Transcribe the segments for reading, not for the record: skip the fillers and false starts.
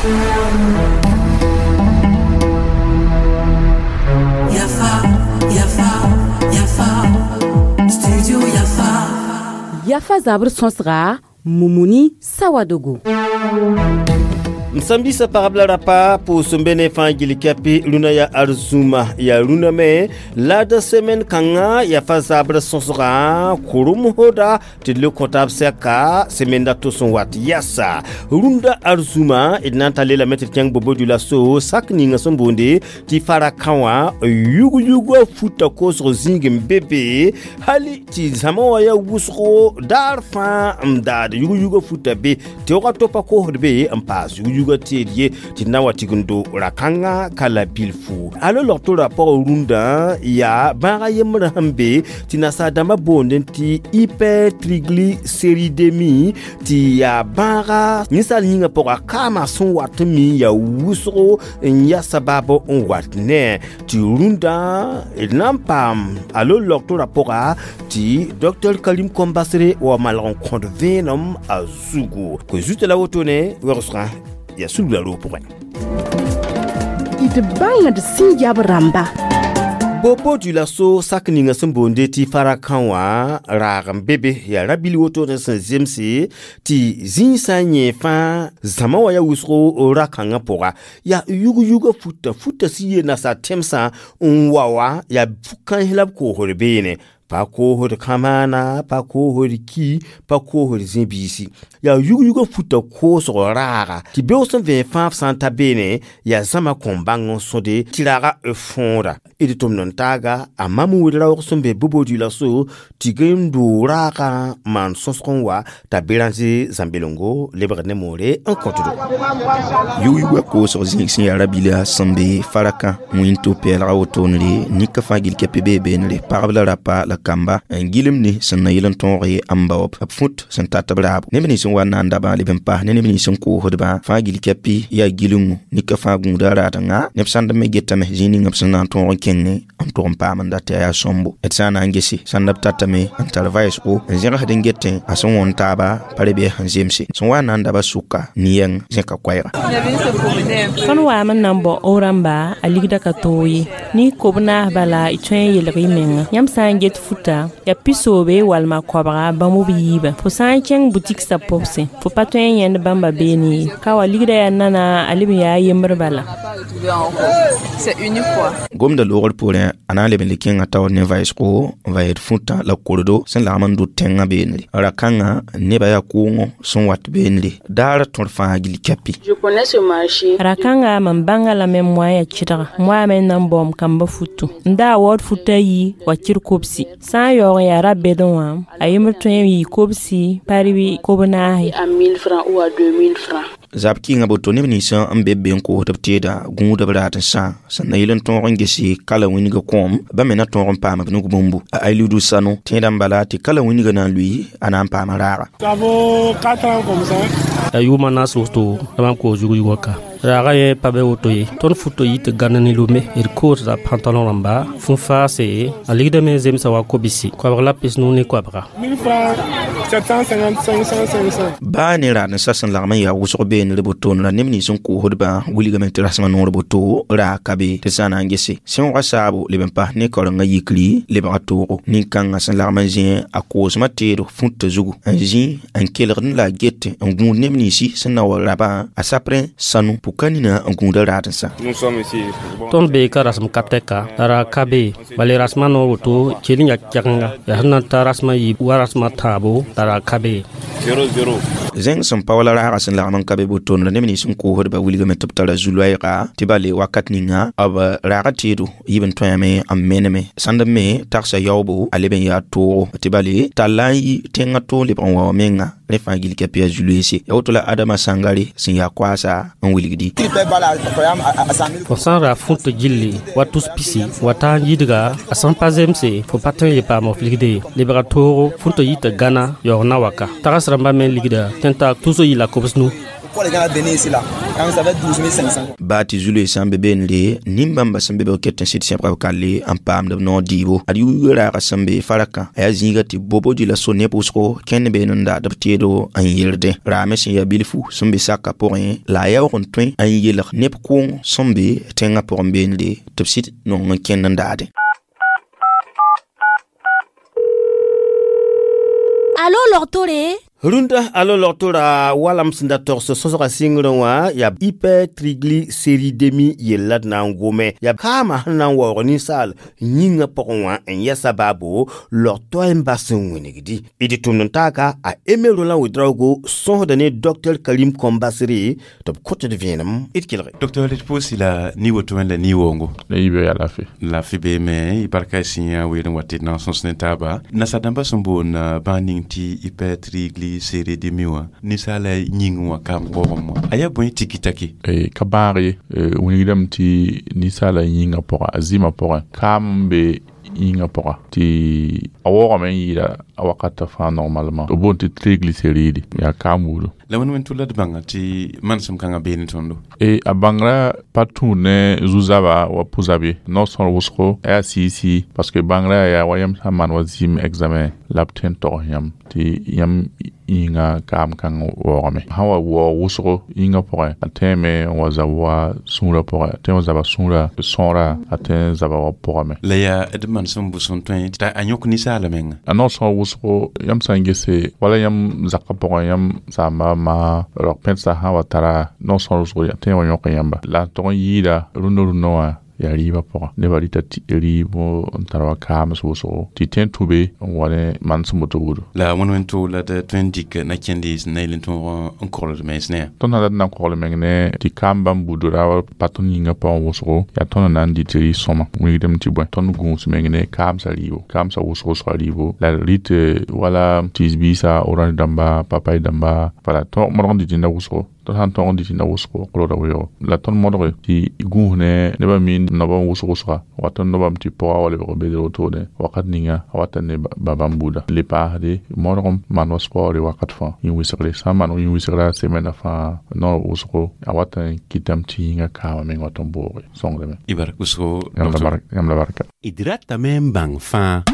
Yafa, Yafa, Yafa, Studio Yafa. Yafa zabr sõsga Mumuni Sawadogo. M sãn-biisã pagb la rapa pʋʋs n be ne fãa gil kɛpɩ rũnã yaa arzũma yaa rũnã me la d semen kãngã yaa fa zabr sõsgã kʋrem hoda tɩ d le kõ taab sɛka semenda to sẽn wat yɛsa rũndã arzũma d na n ta leelame tɩ d kẽng bobo dula so sak ninga sẽn boonde tɩ fara-kã wã yug-yugã futa koosg zĩig n be be hali tɩ zãma wã yaa wʋsgo daar fãa n daad yug-yugã futa be teoogã to pa koosd be n paas yug-yugã teed ye tɩ d na n wa tigendo ra-kãngã ka la bilfu alo log-to-ra pʋgẽ rũndã yaa bãaga yembrã sẽn be tɩ nasaar-dãmbã boondẽ tɩ hypertriglycéridémie tɩ yaa bãaga ninsaal yĩngã pʋga kaamã sẽn wat n mi yaa wʋsgo n ya sabab n wat ne tɩ rũndã d na n paam alo log-to-ra pʋga tɩ docteur Karim Kombasre wa malg n kõd vẽenem a zugu koe zuta la wotone wegsgã yaa sulg la roog pʋgẽ. D bãngd sẽn yab rãmba. Bobo dula so sak ninga sẽn boonde tɩ fara-kã wã raag n be be yaa ra-bil wotone sẽn zemse tɩ zĩisã yẽ fãa zãma wã yaa wʋsgo ra-kãngã pʋga yaa yug-yugã futa futa sẽn yee nasaar tẽmsã n wa wã yaa fu-kãens la b koosd beene pa koosd kamaana pa koosd ki pa koosd zĩ-biisi yaa yug-yugã futa koosg raaga tɩ beoog sẽn vẽen fãa f sã n ta beene yaa zãma kõn bãng n sõde tɩ raaga f fõoda d tʋmd n taaga a mam wed raoog sẽn be bobo-dula so tɩ gem doog raagã maan sõsg n wa t'a beranze zãmbelengo lebgd ne moore n kõtdo. Yug-yugã koosg zĩig sẽn yaa rabila sẽn be farakã wĩnto-pɛɛlga wotone nika fãa gil kɛpɩ bee beenre pagb la rapa la kamba n gilem ne sẽn na yɩl n tõog n baob b fũt sẽn tat b raabo neb nins n wa n na n dabã leb n pas ne neb nins n koosdbã fãa gil kɛpɩ yaa gilengõ nika fãa gũuda raadengã neb sãnd me getame zĩig ninga b sẽn na n tõog n kẽngẽ n tʋg n paam n dat yaa sõmbo d sã n na n gese sãnd b tatame n tar vaɩsgo n zẽgsd n getẽ a sẽn wõn taaba pa re bɩ sẽn zemse sẽn wa n na n daba sʋka ne-yɛng zẽka koɛɛga. Tõnd waam n na n bao f rãmba a ligda ka toog ye ne kob naas bala y tõe n yelg y menga yãmb sã n get futa yaa pisoobe walma koabga bãmb b yiibã fo sã n kẽng butik sa pʋbsẽ fo pa tõe n yẽnd bãmba beene ye ka wa ligda yaa nana a leb n yaa yembr bala. C'est unique quoi. Gomda loogr poorẽ a na n leb n le kẽngã taoor ne vaɩsgo n va yed fũtã la kordo sẽn lagm n dʋ tẽngã beenre ra-kãngã nebã yaa kʋʋngõ sẽn wat beenre daar tõr fãa gil kɛpɩ. Je connais ce marché. Ra-kãnga mam bãnga lame n moa yaa kɩdga moa me n na n baoom kamba futu n daa waood futa yi wa kɩr kobsi sã n yaoog n yaa ra-bɛdẽ wã a yembr tõe n yɩ kobsi parɩ kob naase. À 1000 francs ou à 2000 francs. Zab kɩnga boto neb nins n be b be n koosd b teeda gũudb raad n sã sẽn na yɩl n tõog n gese kala wĩnga kõom ba me na tõog n paam b nug bũmbu a Ailidu Sano tẽedã n bala tɩ kala wĩnga na n lʋɩ a na n paama raaga. Ça vaut 4 ans comme ça. Ya yʋʋmã naas woto la mam koos yug-yugã ka raaga yẽ pa be woto ye tõnd futo yɩ tɩ gãnd ne lome d koosda pantalon rãmba fũ-faase a ligdame zemsa wa kobisi koabg la pis-nu ne koabga. 1000 francs, 750, 500, 500. Baa ne raad n sa sẽn lagm n yaa wʋsg beenr botoon ra neb nins n koosdbã wilgame tɩ rasmã noor boto raag ka be tɩ sã n na n gese sẽoogã saabo leb n pas ne kaorengã yikri lebga toogo nin-kãngã sẽn lagm n zĩ a koosmã teed fũtã zugu n zĩ n kelgd la a get n gũud neb ninsi sẽn na wa rabã a saprẽ sanu pʋka nina n gũuda raad n sã. Nous sommes ici. Bon. Tõnd bee ka rasem ka tɛka la ra ka be bala rasmã noor woto kell n yaa kɛgenga yaa sẽn na n ta rasmã yiib wa rasmã tãabo la ra ka be. 0 0. Zẽng sẽn pa wala raaga sẽn lagm n ka be botoon ra neb nins n koosdba wilgame tɩ b tara zu-loɛɛga tɩ bale wakat ninga b raaga teedo yib n tõeme n meneme sãnd me tagsa yaoobo a leb n yaa toogo tɩ bale talla n yi tẽngã toog lebg n wa wa menga rẽ fãa gil kɛpɩ yaa zu-loeese ya woto la Adama Sãngare sẽn yaa koaasa n wilgdi. Fo sã n ra fũt gilli wa tus pisi wa taa n yidga a sẽn pa zemse fo pa tõe n ye paam f ligde ye lebga toogo fũtã yɩ tɩ gãna yaoog na waka tags rãmbã me ligda tẽn t'a tus yi la kobs nu. Pourquoi les gens viennent ici là? Donc ça va 12 500. Baa tɩ zu-loe sã n be beenre nin-bãmba sẽn be b ket n sɩd sẽbga b kalle n paamd b noor dɩɩbo ad yʋ raaga sẽn be faraka a yaa zĩiga tɩ bobodi la so neb wʋsgo kẽnd been n daad b teedo n yerdẽ raame sẽn yaa bilfu sẽn be saka pʋgẽ la a yaoog n tõe n yelg neb kʋʋng sẽn be tẽngã pʋgẽ beenre tɩ b sɩd nong n kẽnd n daadẽ. Alo logtore? Rũndã alo logtora walam sẽn da togs sõsga sɩngrẽ wã yaa hypertriglycéridémie yella d na n gome yaa kaamã sẽn na n waoog ninsaal yĩngã pʋgẽ wã n yɛsa baabo log toay n bas n wĩnigdi d tʋmd n taaga a Aimé Roland Ouédraogo sõsda ne Dr Karim Kombasri tɩ b kõt d vẽenem d kelge. Docteur d pʋʋsi la ni woto wẽn la ni-woongo. La yiibã yaa laafɩ. Laafɩ beeme y barka y sẽn weer n wa tɩ d na n sõs ne taaba nasadãmbã sẽn boond bãag ning tɩ hypertriglycéridémie wã ninsaala yĩngẽ wã kaam koogem wã a yaa bõe tiki-taki? Ka bãag ye wilgdame tɩ ninsaala yĩngã pʋga a zɩɩmã pʋgẽ kaam n be yĩngã pʋga tɩ a waoogame n yɩɩda a wakatã fãa normalement b boond tɩ triglycéride yaa kaam wuudo. La wẽnd wẽn tʋ la d bãnga tɩ manesem kãngã bee ne tõndo? A bãngrã pa tũud ne zu-zaba wa pʋ-zab ye no-sõor wʋsgo a yaa sɩɩ-sɩɩ parce que bãngrã yaa wa yãmb sã n maan wa zɩɩm examen la b tõe n togs yãmb tɩ yãmb yĩngã kaam kãng waoogame sã wa waoog wʋsgo yĩngã pʋgẽ a tẽeme n wa zab wa sũurã pʋgẽ a tõe n wa zaba sũurã sõora a tõe n zaba wa pʋgame. La yaa d manesem bʋs n tõe t'a a yõk ninsaala menga? A no-sõor wʋsgo yãmb sã n gese wala yãmb zakã pʋgẽ yãmb saamba ma rao-pẽdsã sã wa tara no-sõor wʋsgo a tõe n wa yõk yãmba la n tog n yɩɩda rũndã rũndã wã yaa rɩɩbã pʋgã nebã rɩta tɩ rɩɩb n tar wa kaams wʋsgo tɩ tõe n tũ be n wa ne manesem woto wuudo. La wẽnd wẽn to la d tõe n dɩk na-kẽndi sẽn na yel n tõog n kogld mens ne? Tõnd sã dat n na n kogl meng ne tɩ kaam bãmb buudra wa pa tõnd yĩngã pʋgẽ wʋsgo yaa tõnd n na n dɩt rɩ sõma wilgdame tɩ bõe tõnd gũus meng ne kaamsã rɩɩbo kaamsã wʋsg wʋsga rɩɩbo la d rɩt wala tɩs-biisã orange dãmba papay dãmba wala tõog modg n dɩt rẽnda wʋsgo tõnd sã n tõog n dɩt rẽnda wʋsgo kolgda weoogo la tõnd modge tɩ gũus ne nebã mi noaba n wʋsg wʋsga wat n nobame tɩ pʋga wa lebg bedr wotone wakat ninga a wata ne ba bãmb buuda le paasde modg n maan wa sport wakat fãa yĩn-wɩsgre sã n maan yĩn-wɩsgrã semɛna fãa noor wʋsgo a wata n kɩtame tɩ yĩngã kaamã meng wat n booge sõngdame. Y bark wʋsgo. Yãmb la barka. D ratame n bãng fãa.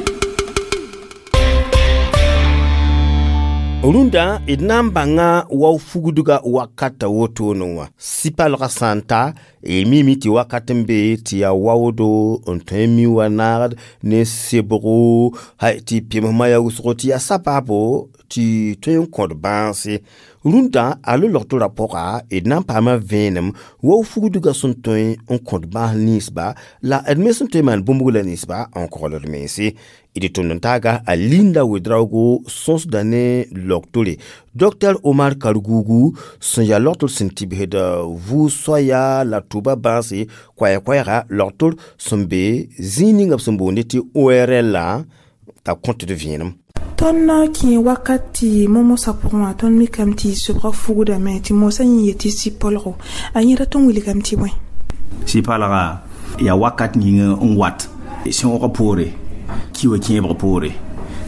Rũndã d na n bãnga wao fugdga wakata wotone wã sɩ-palgã sã n ta y mimi tɩ wakat n be tɩ yaa waoodo n tõe n mi wa naagd ne sebgo tɩ pemsmã yaa wʋsgo tɩ yaa sabaabo tɩ tõe n kõd bãase rũndã a lo logtorã pʋga d na n paama vẽenem wao fugdgã sẽn tõe n kõd bãas ninsba la d me sẽn tõe n maan bũmb la ninsba n kogld mense d tʋmd n taaga a Linda Ouédraogo sõsda ne logtore Dr Omar Kargougou sẽn yaa logtor sẽn tɩbsd vʋʋg-soaya la tʋba bãase koɛɛ-koɛɛga logtor sẽn be zĩig ninga b sẽn boonde tɩ ORL t'a kõt d vẽenem. Tõnd na kẽ wakat tɩ momosã pʋgẽ wã tõnd mikame tɩ sobga fugdame tɩ mosã yẽ yetɩ sɩ-polgo a yẽ rat n wilgame tɩ bõe? Sɩ-palga yaa wakat ning n wat sẽoogã poore ki wa kẽebg poore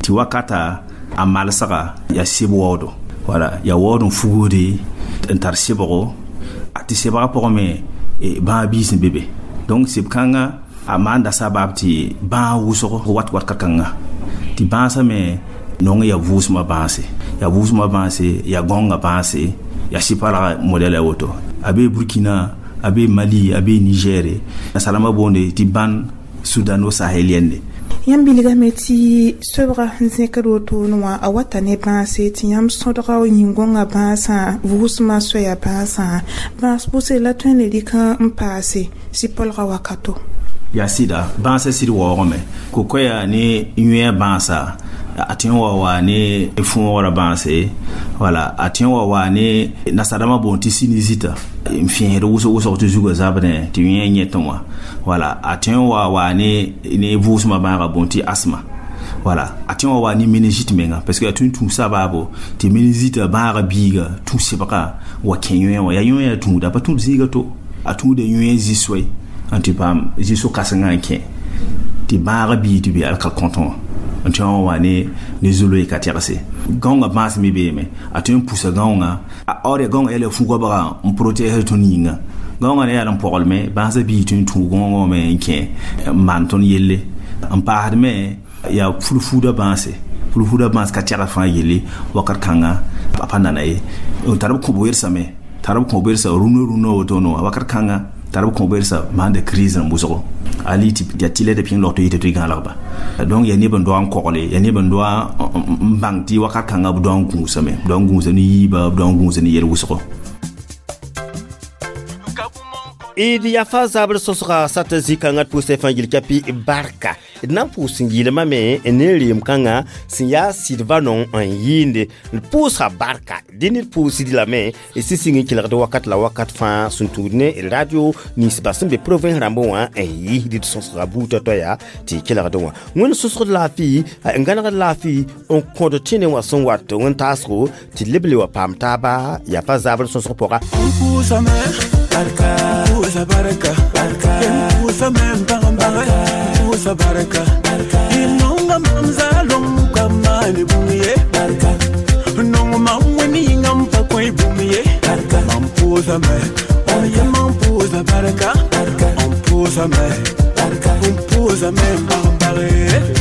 tɩ wakata a malsga yaa seb waoodo wala yaa waood n fugde n tar sebgo a tɩ sebgã pʋgẽ me bãag biis n be be donc seb kãngã a maanda sabaab tɩ bãag wʋsg wat wakat kãnga tɩ bãasã me nong yaa vʋʋsmã bãase yaa vʋʋsmã bãase yaa gõngã bãase yaa sɩ-palga modɛl a woto a bee Burkina a bee Mali a bee Niger nasalãmbã boonde tɩ bãn sudano-sahélienne. Yãmb bilgame tɩ sobga n zẽkd wotone wã a wata ne bãase tɩ yãmb sõdga yĩn-gõngã bãasã vʋʋsmã soaya bãasã bãas pʋse la tõe n le rɩk n paase sɩ-polgã wakato. Yaa sɩda bãasã sɩd waoogame ko-koɛa ne yõe bãasa a tõe n wa wa ne fõogra bãase wala a tõe n wa wa ne nasadãmbã boond tɩ sinusite n fẽesd wʋsg wʋsg tɩ zugã zabdẽ tɩ yẽ yẽtẽ wã wala a tõe n wa wa ne vʋʋsmã bãagã boond tɩ asma wala a tõe n wa wa ne méningite menga parce que a tõe n tũ sabaabo tɩ méningite bãagã biiga tũ sebga wa kẽ yõe wã yaa yõe yaa tũuda a pa tũud zĩiga to a tũuda yõe zĩ-soe n tɩ paam zĩ-so-kãsengã n kẽ tɩ bãagã biig tɩ be alkal kõtẽ wã. N tõe n wa ne zuloe ka tɛgse gãongã bãas me beeme, a tõe n pusa gãongã a or ya gãongã yaa la fu-goabga n protégr tõnd yĩnga. Gãongã ne yaa n pɔglme bãasã bii tõe n tũu gãongã me n kẽ n maan tõnd yelle. N paasd me yaa fulfuudã bãase, fulfuudã bãas ka tɛgd fãa yelle wakat kãnga a pa nana ye. Tar b kõ-b tar b kõ-b rũnã rũnã wotone wã wakat kãnga tar b kõ-b maanda crise rãmb wʋsgo ali tɩ yaa tɩlɛ tɩ pĩng log tɩ yɩ tɩ gãalgba. Donc yaa neb n doa n kogle, yaa neb n doa n bãng tɩ wakat kãnga b doa n gũusame, b doa n gũusa ne yiiba, b doa n gũusa ne yel wʋsgo. D yafa zabr sõsga sat zĩ-kãngã d pʋʋsã fãa gil kapi barka. D na n pʋʋs n yɩlmame ne reem kãngã sẽn yaa sɩdba nong n yɩɩnde d pʋʋsga barka. Dẽ ned pʋʋsd lame d sẽn sɩng n kelgd wakat la wakat fãa sẽn tũud ne radio ninsba sẽn be province rãmbẽ wã n yɩsd d sõsga buudã tɔ yaa tɩ kelgd wã. Wẽnd sõsgd laafɩ n gãnegd laafɩ n kõd tẽne wã sẽn wat wẽn-taasgo tɩ leb le wa paam taaba yafa zabr sõsg pʋga. Barka, pusa barka, barka, pusa men bang bang, pusa barka, barka. Inonga mamzalo kamani bumiye, barka. Nonga mamweni ngampa koi bumiye, barka. Mampusa me, oye mampusa barka, barka. Ampusa me, barka. Ampusa men bang bang.